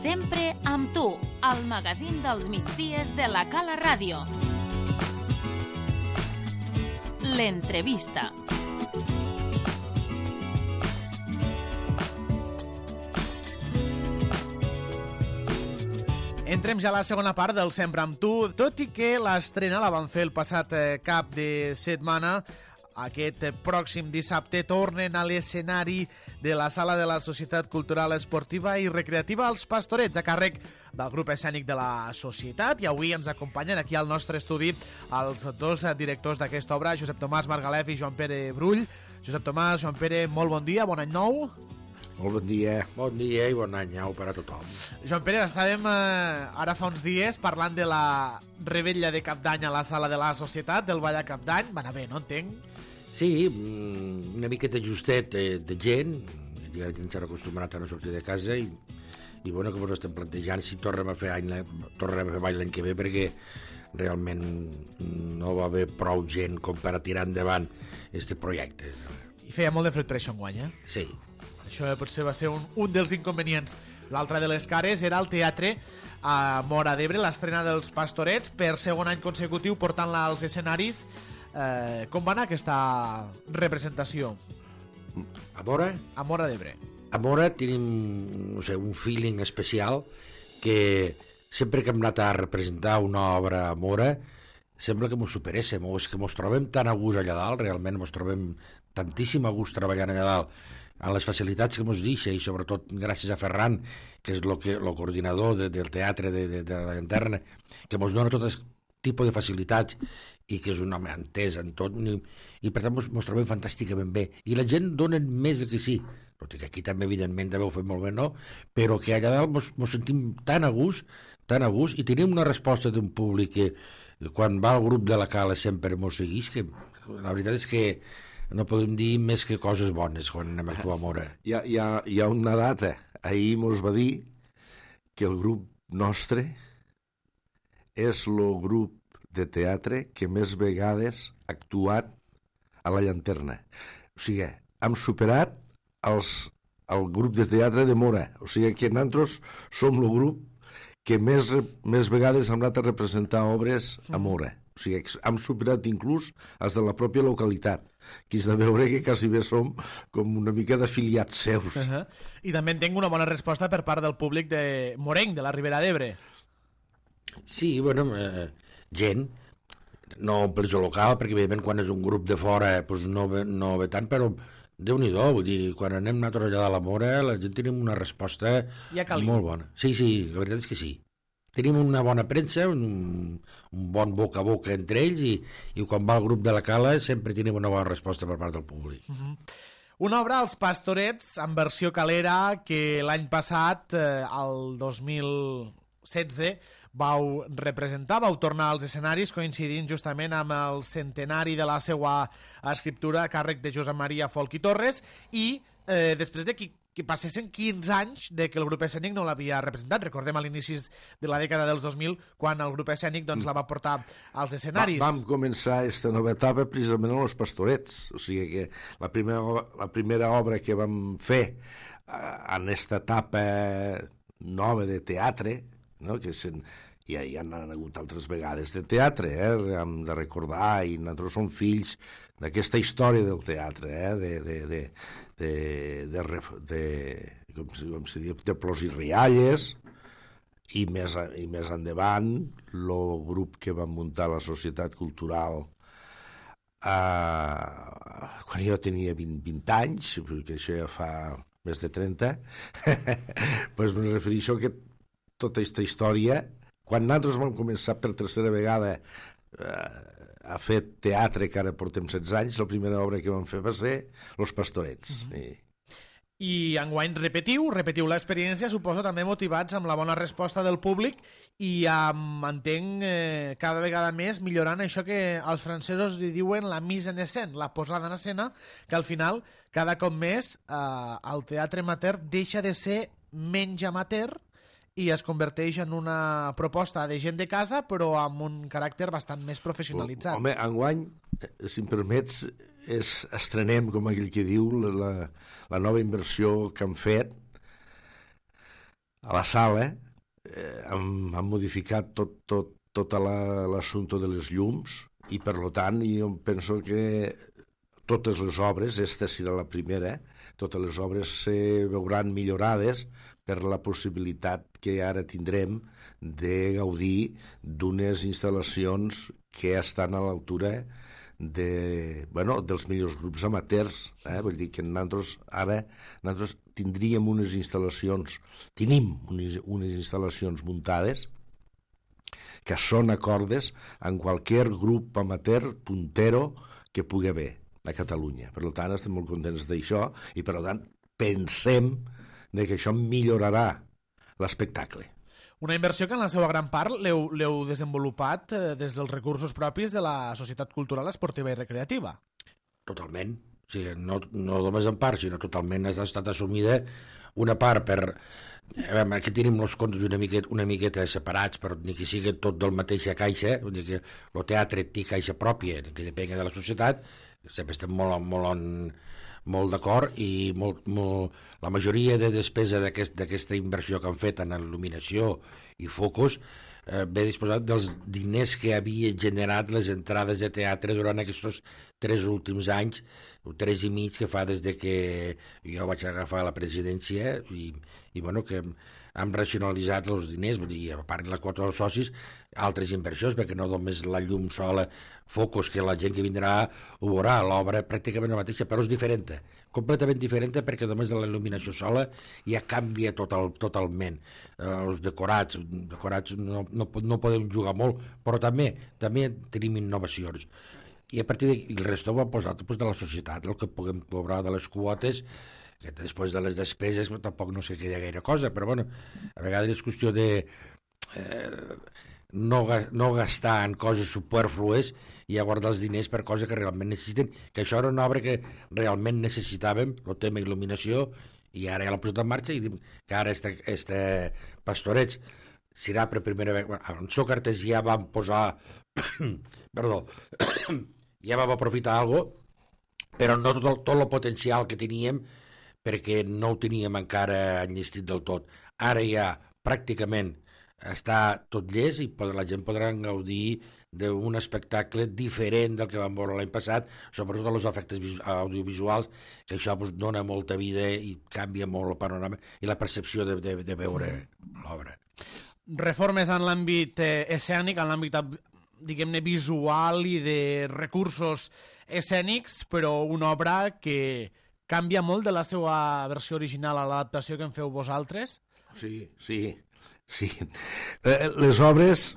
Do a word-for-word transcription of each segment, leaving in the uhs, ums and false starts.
Sempre amb tu, al magazín dels migdies de la Cala Ràdio. L'entrevista. Entrem ja a la segona part del Sempre amb tu, tot i que l'estrena la van fer el passat cap de setmana. Aquest pròxim dissabte tornen a l'escenari de la Sala de la Societat Cultural Esportiva i Recreativa Els Pastorets, a càrrec del grup escènic de la Societat, i avui ens acompanyen aquí al nostre estudi els dos directors d'aquesta obra, Josep Tomàs Margalef i Joan Pere Brull. Josep Tomàs, Joan Pere, molt bon dia, bon any nou. Molt bon dia. Bon dia i bon any nou per a tothom. Joan Pere, estàvem eh, ara fa uns dies parlant de la rebella de Cap d'Any a la Sala de la Societat, del ball a Cap d'Any. Va anar bé, no entenc? Sí, una miqueta justet de, de gent, ja la gent s'ha acostumat a no sortir de casa i, i bueno, que ens estem plantejant si tornem a fer any, tornarem a fer ball l'any que ve, perquè realment no va haver prou gent com per a tirar endavant este projecte. I feia molt de fred per això enguany, eh? Sí. Això potser va ser un, un dels inconvenients. L'altra de les cares era el teatre a Móra d'Ebre, l'estrena dels Pastorets, per segon any consecutiu portant-la als escenaris. Eh, com va anar aquesta representació? A Móra? A Móra d'Ebre. A Móra tenim, no sé, un feeling especial que sempre que hem anat a representar una obra a Móra sembla que mos superéssim, o és que mos trobem tan a gust allà dalt, realment mos trobem tantíssim a gust treballant allà dalt, amb les facilitats que mos deixa, i sobretot gràcies a Ferran, que és el que, lo coordinador de, del teatre de, de, de la Llanterna, que mos dona tot tipus de facilitats i que és un home entès en tot, i, i per tant mos, mos trobem fantàsticament bé, i la gent dona més del que sí, tot i que aquí també evidentment també ho fem molt bé, no? Però que allà dalt mos, mos sentim tan a gust, tan a gust, i tenim una resposta d'un públic que quan va al grup de la Cala sempre mos segueix, que la veritat és que no podem dir més que coses bones quan anem a actuar a Móra. Hi ha, hi ha, hi ha una data, ahir mos va dir que el grup nostre és el grup de teatre que més vegades ha actuat a la Llanterna. O sigui, hem superat els, el grup de teatre de Móra. O sigui que nosaltres som el grup que més, més vegades hem anat a representar obres a Móra. O sigui, hem superat inclús els de la pròpia localitat, que és de veure que quasi bé som com una mica d'afiliats seus. Uh -huh. I també entenc una bona resposta per part del públic de Morenc, de la Ribera d'Ebre. Sí, bueno, eh, gent, no per jo local, perquè evidentment quan és un grup de fora doncs no, ve, no ve tant, però Déu-n'hi-do, vull dir, quan anem nosaltres allà a la Móra, la gent tenim una resposta molt bona. Sí, sí, la veritat és que sí. Tenim una bona premsa, un, un bon boca a boca entre ells, i, i quan va el grup de la Cala sempre tenim una bona resposta per part del públic. Uh-huh. Una obra, Els Pastorets, en versió calera, que l'any passat, eh, el dos mil setze, vau representar, vau tornar als escenaris coincidint justament amb el centenari de la seva escriptura a càrrec de Josep Maria Folch i Torres, i eh, després de que, que passessin quinze anys de que el grup escènic no l'havia representat. Recordem a l'inicis de la dècada dels dos mil, quan el grup escènic doncs, la va portar als escenaris. Va, vam començar aquesta nova etapa precisament amb Els Pastorets, o sigui que la primera, la primera obra que vam fer eh, en aquesta etapa nova de teatre, no? Que sen, ja hi han hagut altres vegades de teatre, eh? Hem de recordar, i nosaltres som fills d'aquesta història del teatre, eh? de, de, de, de, de, de, com, com se diu, de plors i rialles, i més, i més endavant el grup que vam muntar la Societat Cultural eh, quan jo tenia vint, vint anys, perquè això ja fa més de trenta, doncs me refereixo que tota aquesta història, quan nosaltres vam començar per tercera vegada eh, a fer teatre, que ara portem setze anys, la primera obra que vam fer va ser Los Pastorets. Mm-hmm. I... I enguany repetiu, repetiu l'experiència, suposo també motivats amb la bona resposta del públic i amb, entenc, eh, cada vegada més millorant això que els francesos li diuen la mise en escena, la posada en escena, que al final, cada cop més, eh, el teatre amateur deixa de ser menys amateur i es converteix en una proposta de gent de casa, però amb un caràcter bastant més professionalitzat. Home, enguany, si em permets, és, estrenem, com aquell que diu, la, la nova inversió que han fet a la sala eh, han, han modificat tot, tot, tot l'assumpte de les llums i per tant jo penso que totes les obres, esta serà la primera, totes les obres se veuran millorades per la possibilitat que ara tindrem de gaudir d'unes instal·lacions que estan a l'altura de, bueno, dels millors grups amateurs. Eh? Vull dir que nosaltres ara nosaltres tindríem unes instal·lacions, tenim unes, unes instal·lacions muntades que són acordes en qualsevol grup amateur puntero que pugui haver a Catalunya. Per tant, estem molt contents d'això i, per tant, pensem de que això millorarà l'espectacle. Una inversió que en la seva gran part l'heu desenvolupat eh, des dels recursos propis de la Societat Cultural Esportiva i Recreativa. Totalment. O sigui, no, no només en part, sinó totalment ha estat assumida una part per... A veure, aquí tenim els comptes una miqueta, una miqueta separats, però ni que sigui tot del mateixa caixa, vull dir que el teatre té caixa pròpia, que depèn de la societat, sempre estem molt, molt, en, molt d'acord i molt, molt, la majoria de despesa d'aquesta aquest, inversió que han fet en il·luminació i focus eh, ve disposat dels diners que havia generat les entrades de teatre durant aquests tres últims anys, tres i mig que fa des de que jo vaig agafar la presidència i, i bueno, que hem racionalitzat els diners, vull dir, a part de la quota dels socis, altres inversions, perquè no només la llum sola, focus, que la gent que vindrà ho veurà, l'obra pràcticament la mateixa, però és diferent, completament diferent, perquè només de la il·luminació sola ja canvia total, totalment. Eh, els decorats, decorats no, no, no podem jugar molt, però també també tenim innovacions. I a partir d'aquí, el resto ho hem posat doncs, de la societat, el que puguem cobrar de les quotes, que després de les despeses tampoc no sé que hi ha gaire cosa, però bueno, a vegades és qüestió de eh, no, no gastar en coses superflues i a guardar els diners per coses que realment necessiten, que això era una obra que realment necessitàvem, el tema il·luminació, i ara ja l'hem posat en marxa i que ara este, este Pastorets serà per primera vegada, en Sòcrates ja vam posar perdó ja vam aprofitar alguna cosa, però no tot el, tot el potencial que teníem, perquè no ho teníem encara enllestit del tot. Ara ja pràcticament està tot llest i la gent podrà gaudir d'un espectacle diferent del que vam veure l'any passat, sobretot els efectes audiovisuals, que això pues, dona molta vida i canvia molt el panorama i la percepció de, de, de veure l'obra. Reformes en l'àmbit eh, escènic, en l'àmbit, diguem-ne, visual i de recursos escènics, però una obra que canvia molt de la seva versió original a l'adaptació que en feu vosaltres? Sí, sí, sí. Les obres...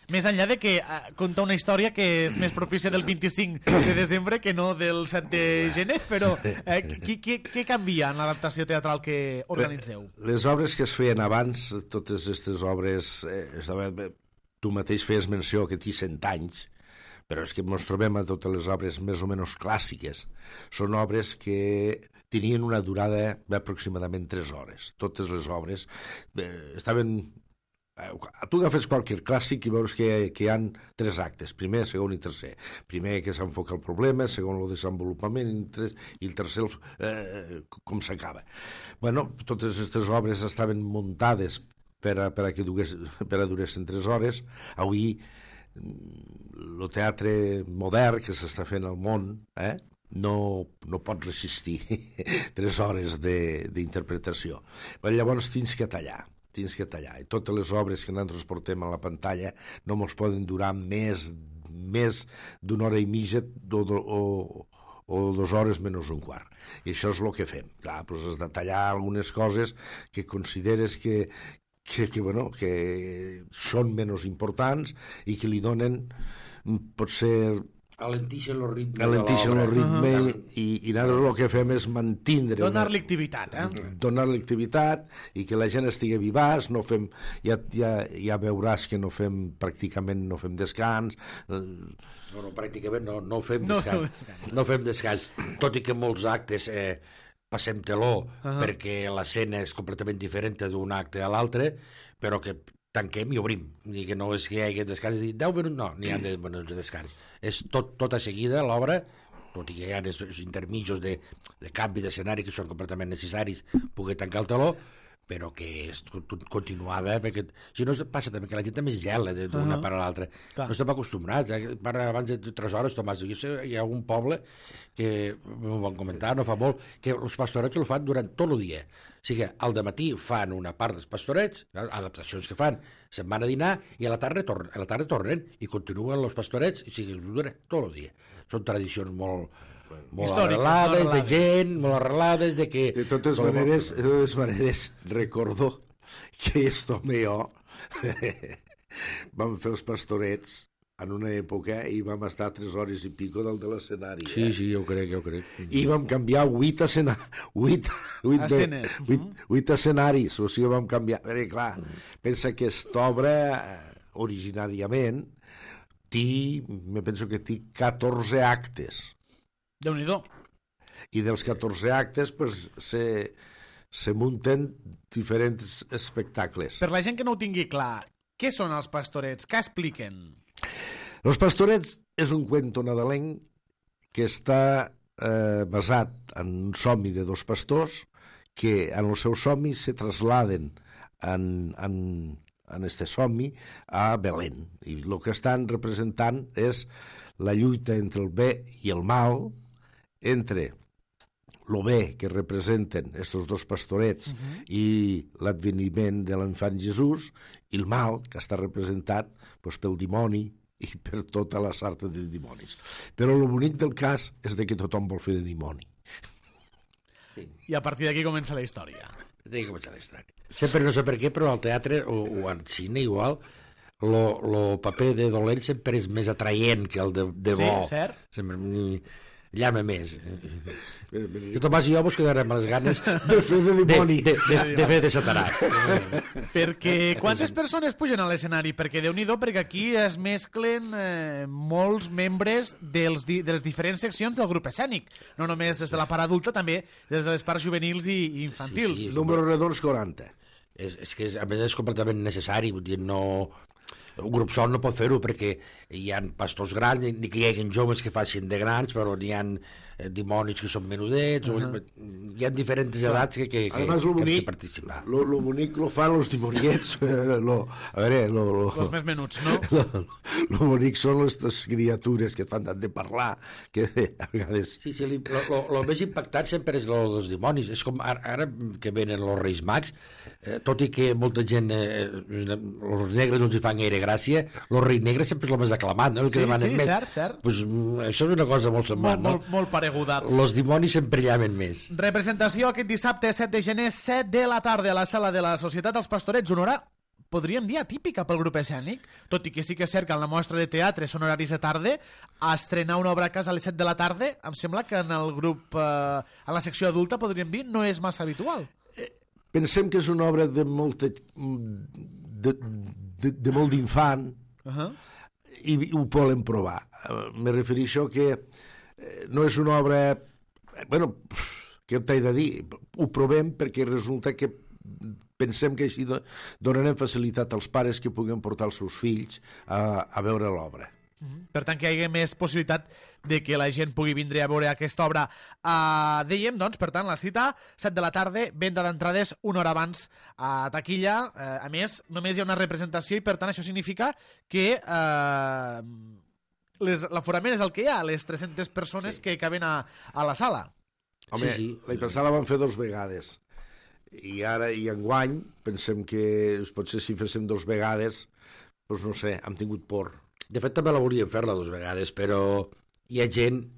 Més enllà de que eh, conta una història que és més propícia del vint-i-cinc de desembre que no del set de gener, però eh, què, què canvia en l'adaptació teatral que organitzeu? Les obres que es feien abans, totes aquestes obres, eh, tu mateix feies menció que té cent anys, però és que ens trobem a totes les obres més o menys clàssiques. Són obres que tenien una durada d'aproximadament tres hores. Totes les obres eh, estaven... Tu agafes qualsevol clàssic i veus que, que hi ha tres actes, primer, segon i tercer. Primer que s'enfoca el problema, segon el desenvolupament i, tres, i el tercer eh, com s'acaba. Bueno, totes aquestes obres estaven muntades per a, per a que dugués, per a duressin tres hores. Avui el teatre modern que s'està fent al món eh, no, no pot resistir tres hores d'interpretació. Llavors tens que tallar. tens que tallar. I totes les obres que nosaltres portem a la pantalla no ens poden durar més, més d'una hora i mitja o, o, o dues hores menys un quart. I això és el que fem. Clar, doncs has de tallar algunes coses que consideres que, que, que, bueno, que són menys importants i que li donen, potser... Alentixen el ritme Alentixen el ritme uh -huh. i, i nosaltres el que fem és mantindre... Donar-li activitat, eh? Donar-li activitat i que la gent estigui vivaç, no fem... Ja, ja, ja veuràs que no fem, pràcticament no fem descans. No, no, pràcticament no, no fem descans. No, descans. no fem descans. Tot i que molts actes eh, passem teló uh -huh. perquè l'escena és completament diferent d'un acte a l'altre, però que tanquem i obrim, i que no és que hi hagi descans i dir deu minuts, no, n'hi ha de minuts de descans, és tot, tot a seguida l'obra, tot i que hi ha els intermitjos de, de canvi d'escenari que són completament necessaris poder tancar el teló, però que és continuada, perquè si no passa també que la gent també es gela d'una uh -huh. part a l'altra. No estem acostumbrats, eh? Parla abans de tres hores, Tomàs, hi ha un poble que m'ho van comentar, no fa molt, que els pastorets ho fan durant tot el dia. O sigui que al dematí fan una part dels pastorets, adaptacions que fan, se'n van a dinar i a la tarda, tor a la tarda tornen i continuen els pastorets, i sigui, dura tot el dia. Són tradicions molt... molt arrelades, no de gent, molt arrelades, de que... De totes maneres, de totes maneres, recordo que esto me jo vam fer els pastorets en una època i vam estar tres hores i pico del de l'escenari. Sí, eh? sí, jo crec, jo crec. I vam canviar vuit, escena... vuit, vuit, Escenes. vuit, vuit escenaris, o sigui, vam canviar... Perquè, clar, pensa que aquesta obra, originàriament, té, me penso que té catorze actes. Déu-n'hi-do. I dels catorze actes pues, se, se munten diferents espectacles. Per la gent que no ho tingui clar, què són els pastorets? Què expliquen? Los pastorets és un cuento nadalenc que està eh, basat en un somni de dos pastors que en els seus somnis se trasladen en, en, en este somni a Belén. I el que estan representant és la lluita entre el bé i el mal, entre el bé que representen estos dos pastorets uh-huh. i l'adveniment de l'infant Jesús, i el mal que està representat pues, pel dimoni i per tota la sarta de dimonis. Però el bonic del cas és de que tothom vol fer de dimoni. Sí. I a partir d'aquí comença la història. Té que començar la història. Sempre, no sé per què, però al teatre o, o al cine igual, el paper de dolent sempre és més atraient que el de, de bo. Sí, cert. Sempre llama més. I Tomàs i jo vos quedarem a les ganes de fer de dimoni. De, de, de, de fer de satanàs. Perquè quantes persones pugen a l'escenari? Perquè Déu-n'hi-do, perquè aquí es mesclen eh, molts membres dels di de les diferents seccions del grup escènic. No només des de la part adulta, també des de les parts juvenils i, i infantils. Sí, sí, número redons quaranta. És, és que a més és completament necessari, vull dir, no... Un grup sol no pot fer-ho perquè hi ha pastors grans, ni que hi hagi joves que facin de grans, però n'hi ha eh, dimonis que són menudets, uh -huh. o, hi ha diferents edats que, que, que, Además, lo que bonic, han de participar. Lo, lo bonic lo fan los dimoniets, lo, a veure, lo, lo, los més menuts, no? Lo, lo bonic són aquestes criatures que et fan tant de parlar, que a vegades... Sí, sí, li, lo, lo, lo més impactant sempre és lo dels dimonis. És com ara, ara que venen els Reis Mags, eh, tot i que molta gent, eh, els negres no els hi fan gaire gràcia, el rei negre sempre és el més aclamat, no? El que sí, demanen sí, més. cert, cert. Pues, això és una cosa molt semblant, molt, no? Molt, molt pareguda. Els dimonis sempre llamen més. Representació aquest dissabte, set de gener, set de la tarda, a la sala de la Societat dels Pastorets. Una hora, podríem dir, atípica pel grup escènic, tot i que sí que és cert que en la mostra de teatre són horaris de tarda, a estrenar una obra a casa a les set de la tarda, em sembla que en el grup, eh, en la secció adulta, podríem dir, no és massa habitual. Eh, pensem que és una obra de molta... de, de, de molt d'infant, uh -huh. i, i ho volen provar. Uh, me refereixo que eh, no és una obra... Eh, bueno, què t'he de dir? Ho provem perquè resulta que pensem que així donarem facilitat als pares que puguen portar els seus fills a, a veure l'obra. Uh-huh. Per tant, que hi hagi més possibilitat de que la gent pugui vindre a veure aquesta obra. Uh, dèiem, doncs, per tant, la cita, set de la tarda, venda d'entrades una hora abans a taquilla. Uh, a més, només hi ha una representació i, per tant, això significa que uh, l'aforament és el que hi ha, les tres-centes persones sí. que caben a, a la sala. Home, sí, sí. L'any passat la vam fer dos vegades. I ara, i enguany, pensem que potser si féssim dos vegades, doncs no sé, hem tingut por. De fet, també la volíem fer-la dues vegades, però hi ha gent,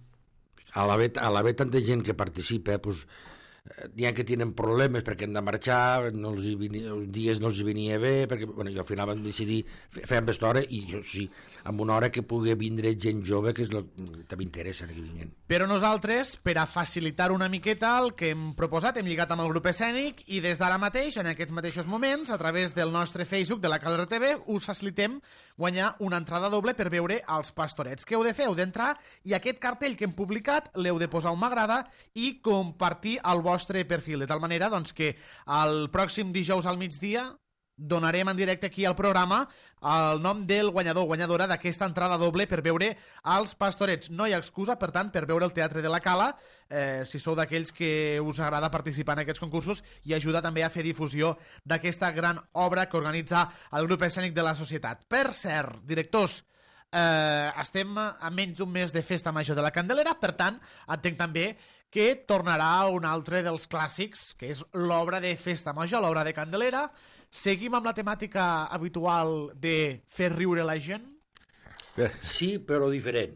a l'haver tanta gent que participa, doncs, n'hi ha que tenen problemes perquè han de marxar, no els venia, els dies no els venia bé, perquè bueno, al final vam decidir fer amb aquesta hora, i jo sí, amb una hora que pugui vindre gent jove, que és el que també interessa que vinguin. Però nosaltres, per a facilitar una miqueta el que hem proposat, hem lligat amb el grup escènic, i des d'ara mateix, en aquests mateixos moments, a través del nostre Facebook de la Calera T V, us facilitem guanyar una entrada doble per veure els Pastorets. Què heu de fer? Heu d'entrar i aquest cartell que hem publicat l'heu de posar un m'agrada i compartir el vostre perfil, de tal manera doncs, que el pròxim dijous al migdia donarem en directe aquí al programa el nom del guanyador, guanyadora d'aquesta entrada doble per veure els Pastorets. No hi ha excusa, per tant, per veure el Teatre de la Cala, eh, si sou d'aquells que us agrada participar en aquests concursos i ajudar també a fer difusió d'aquesta gran obra que organitza el grup escènic de la Societat. Per cert, directors, eh, estem a menys d'un mes de Festa Major de la Candelera, per tant, entenc també que tornarà un altre dels clàssics, que és l'obra de Festa Major, l'obra de Candelera. Seguim amb la temàtica habitual de fer riure la gent? Sí, però diferent.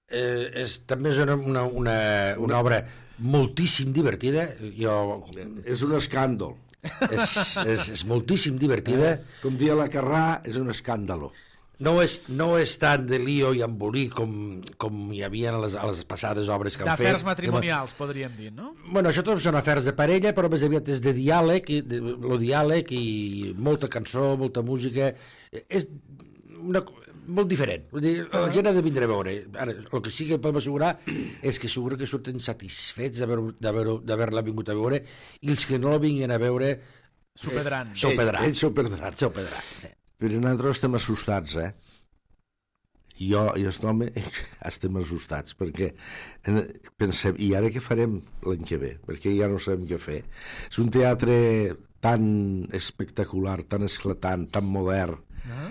Eh, és, també és una, una, una, una obra moltíssim divertida. Jo... És un escàndol. És, és, és moltíssim divertida. Eh? Com dia la Carrà, és un escàndalo. No és, no és tant de lío i embolic com, com hi havia a les, a les passades obres que han fet. D'afers matrimonials, podríem dir, no? Bueno, això tot són afers de parella, però més aviat és de diàleg, i de, lo diàleg i molta cançó, molta música. És una, molt diferent. Vull dir, la gent ha de vindre a veure. Ara, el que sí que podem assegurar és que segur que surten satisfets d'haver-la vingut a veure, i els que no la vinguin a veure s'ho perdran. S'ho perdran. Ells s'ho perdran. S'ho perdran, sí. Però nosaltres estem assustats, eh? Jo i aquest home estem assustats, perquè pensem, i ara què farem l'any que ve? Perquè ja no sabem què fer. És un teatre tan espectacular, tan esclatant, tan modern, uh-huh.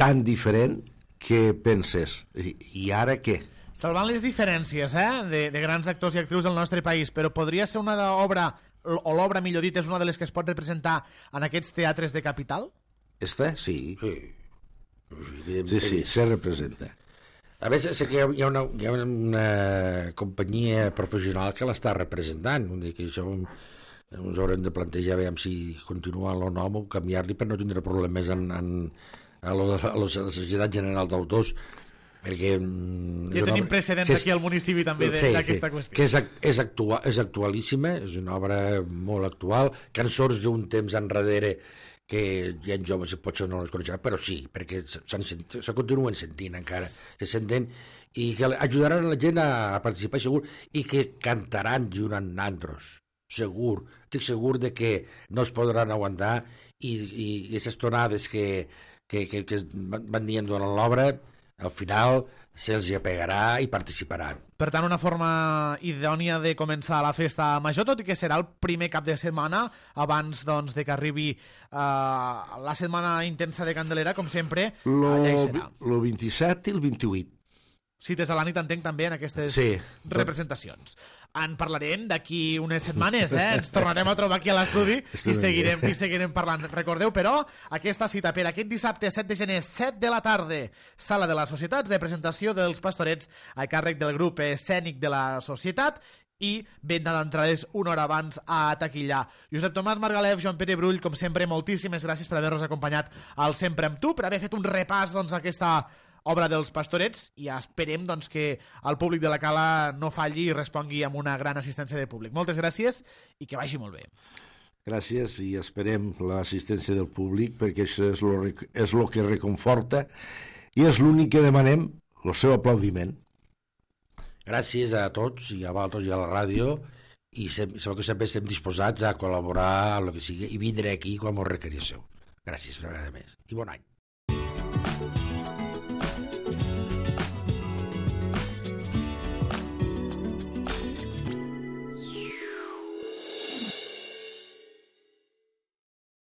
tan diferent, que penses, i, i ara què? Salvant les diferències, eh? de, de grans actors i actrius del nostre país, però podria ser una obra, o l'obra, millor dit, és una de les que es pot representar en aquests teatres de capital? Esta? Sí. Sí, sí, sí, se representa. A més, sé que hi ha una, hi ha una companyia professional que l'està representant. Vull dir que això ens haurem de plantejar veure si continua el nom o canviar-li per no tindre problemes en, en, a, lo, a, lo, a la Societat General d'Autors, perquè... Ja tenim precedents aquí al municipi també d'aquesta sí, sí, qüestió. Que és, és, actua, és actualíssima, és una obra molt actual, cançons d'un temps enrere que hi ha joves que potser no les coneixeran, però sí, perquè se continuen sentint encara, se senten, i que ajudaran la gent a participar segur, i que cantaran junt amb nandros, segur, estic segur de que no es podran aguantar, i, i aquestes tonades que, que, que, que van dient durant l'obra, al final se'ls hi apegarà i participaran. Per tant, una forma idònia de començar la festa major, tot i que serà el primer cap de setmana, abans doncs, de que arribi uh, la setmana intensa de Candelera, com sempre, lo, allà hi serà. El vint-i-set i el vint-i-vuit. Cites a la nit, entenc, també, en aquestes sí. representacions. En parlarem d'aquí unes setmanes, eh? Ens tornarem a trobar aquí a l'estudi i seguirem, i seguirem parlant. Recordeu, però, aquesta cita per aquest dissabte set de gener, set de la tarda, Sala de la Societat, representació dels Pastorets a càrrec del grup escènic de la Societat, i venda d'entrades una hora abans a taquillar. Josep Tomàs Margalef, Joan Pere Brull, com sempre, moltíssimes gràcies per haver-nos acompanyat al Sempre amb tu, per haver fet un repàs doncs, a aquesta obra dels Pastorets, i esperem doncs, que el públic de la Cala no falli i respongui amb una gran assistència de públic. Moltes gràcies i que vagi molt bé. Gràcies, i esperem l'assistència del públic, perquè això és lo, és lo que reconforta i és l'únic que demanem, el seu aplaudiment. Gràcies a tots i a vosaltres i a la ràdio, i sabeu que sempre estem disposats a col·laborar amb el que sigui i vindré aquí quan m'ho requeríssiu. Gràcies una vegada més i bon any.